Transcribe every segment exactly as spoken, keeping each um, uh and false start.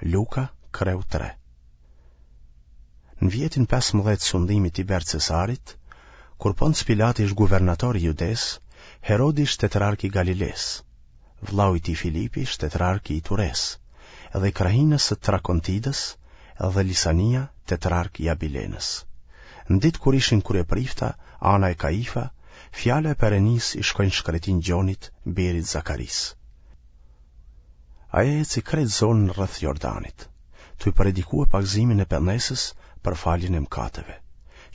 Luka, kreu tre. Në vjetin pesëmbëdhjetë sundimit Tiber Cesarit, kur Ponc Pilati ish guvernator i Judesë, Herodi ish tetrark i Galilesë, vllau i tij Filipi ish tetrark i Ituresë, edhe i krahinës së Trakontidës, edhe Lisania tetrark i Abilenës. Në ditë kur ishin kryeprifta, Ana e Kaifa, fjala e Perenisë i shkoi në shkretinë Gjonit, birit Zakarisë. Ai e eci krejt zonën rreth Jordanit, tuj predikue pagëzimin e pendesës për faljen e mëkateve,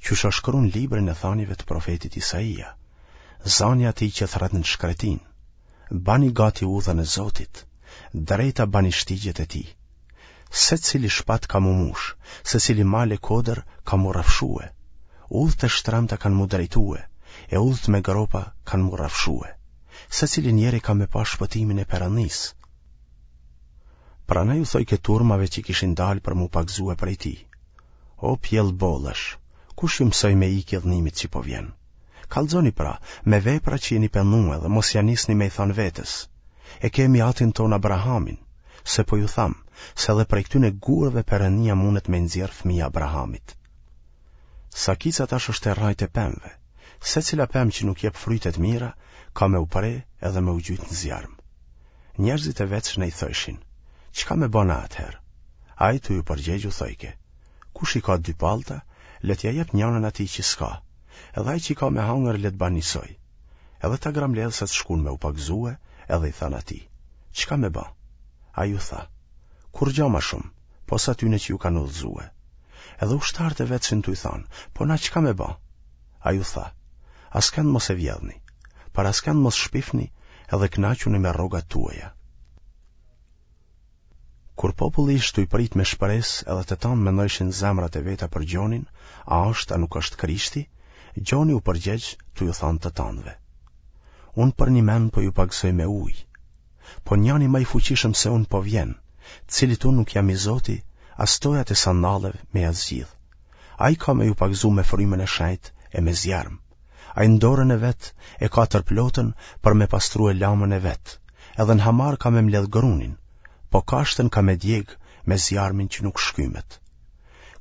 qysh o shkru në librin e thanjeve të profetit Isaia, zani i atij që thërret në shkretinë, bani gati udhën e Zotit, drejta bani shtigjet e tij. Secili shpat ka m'u mush, secili mal e kodër ka m'u rrafshue, udhët e shtremta kanë m'u drejtue, e udhët me gropa kanë m'u rrafshue. Secili njeri ka me pa shpëtimin e Perëndisë. Pranaj u thojke turmave që kishin dalë për m'u pagëzue prej tij, O pjellë bolesh, kush ju mësoi me ikë idhnimit që po vjen? Kallxoni pra, me vepra që jeni pendue dhe mos ia nisni me i thanë vetes, E kemi atin tonë Abrahamin, se po ju tham, se edhe prej këtyne gurëve Perëndia mundet me nxjerrë fëmijë Abrahamit. Sakica tash është te rrajt e pemëve. Secila pemë që nuk jep fryte të mira, ka me u pre edhe me u gjujt në zjarm. Njerëzit e vetshin i thojshin, Çka me ba na atëherë? Ai tuj u përgjegj u thojke, Kush i ka dy pallta, le t'ia jep njanën atij që s'ka, edhe ai që ka me hangër le të ban njësoj. Edhe tagrambledhësat shkun me u pagëzue edhe i thanë atij, Çka me ba? Ai u tha, Kurrgja ma shumë, pos atyne që ju kanë udhëzue. Edhe ushtarët e vetshin tuj thanë, Po na çka me ba? Ai u tha, Askënd mos e vjedhni, për askënd mos shpifni edhe kënaquni me rrogat tuaja. Kur populli ish tuj prit me shpresë edhe të tanë mendojshin zemrat e veta për Gjonin, a është a nuk është Krishti, Gjoni u përgjegj tuj u thanë të tanëve. Unë përnjëmend po ju pagëzoj me ujë, Po njani ma i fuqishëm se unë po vjen, cilit unë nuk jam i zoti, as tojat e sandalleve me ia zgjidh. Ai ka me ju pagëzu me frymën e shenjtë e me zjarm. Ai në dorën e vet e ka tërplotën për me pastrue lamën e vet, edhe në hamar ka me mbledh grunin, po kashtën ka me djeg me zjarmin që nuk shkymet.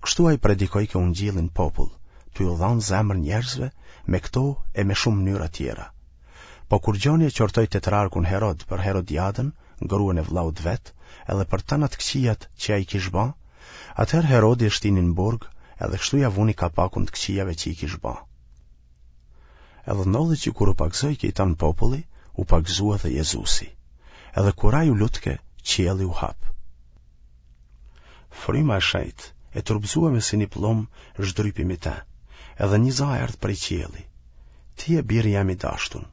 Kështu ai predikojke ungjillin n'popull, tuj u dhanë zemër njerëzve me këto e me shumë mënyra tjera. Po kur Gjoni e qortoi tetrarkun Herod për Herodiadën, gruan e vëllaut vet, edhe për tana të këqijat që ai kish ba, atëherë Herodi e shtini në burg, edhe kështu ia vuni kapakun të këqijave që i kish ba. Edhe ndodhi që kur u pagëzojke i tanë populli, u pagëzua edhe Jezusi. Edhe kur ai u lutke, qielli u hap. Fryma e shenjtë, e trupëzueme si një pëllumb, zhdrypi mi te, edhe një za erdh prej qielli. Ti je biri jem i dashtun,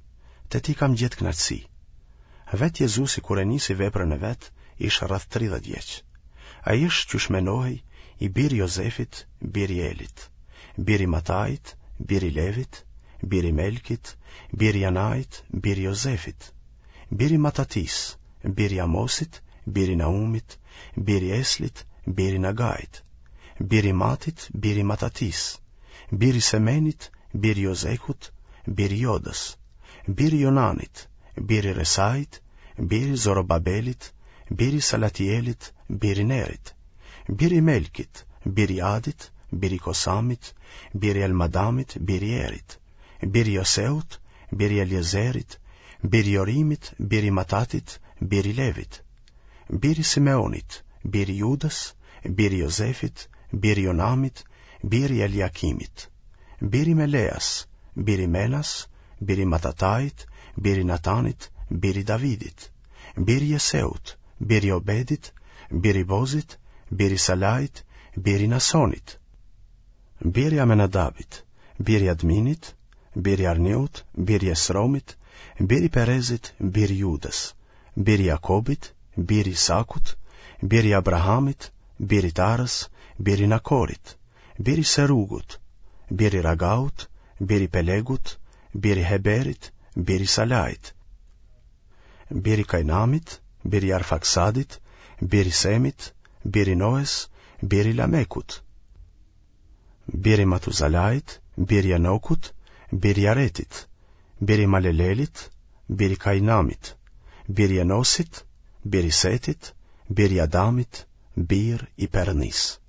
te ti kam gjetë kënaqësi. Vetë Jezusi kur e nisi veprën e vet, ish rreth tridhjetë vjeç. Ai ish, qysh menohej, i biri Jozefit, biri Elit, biri Matait, biri Levit, biri Melkit, biri Janait, biri Jozefit, biri Matatisë, biri Amosit, biri Naumit, biri Eslit, biri Nagait, biri Matit, biri Matatisë, biri Semenit, biri Jozekut, biri Jodës, biri Jonanit, biri Resait, biri Zorobabelit, biri Salatielit, biri Nerit, biri Melkit, biri Adit, biri Kosamit, biri Elmadamit, biri Erit, biri Joseut, biri Eliezerit, biri Jorimit, biri Matatit, biri Levit, biri Simeonit, biri Judës, biri Jozefit, biri Jonamit, biri Eliakimit, biri Meleas, biri Menas, biri Matatait, biri Natanit, biri Davidit, biri Jeseut, biri Obedit, biri Bozit, biri Salait, biri Nasonit, biri Amenadabit, biri Adminit, biri Arniut, biri Esromit, biri Perezit, biri Judës, biri Jakobit, biri Isakut, biri Abrahamit, biri Tarës, biri Nakorit, biri Serugut, biri Ragaut, biri Pelegut, biri Heberit, biri Salait, biri Kainamit, biri Arfaksadit, biri Semit, biri Noes, biri Lamekut, biri Matuzalait, biri Enokut, biri Jaretit, biri Malelelit, biri Kainamit, biri Enosit, biri Setit, biri Adamit, Bir i Perëndisë.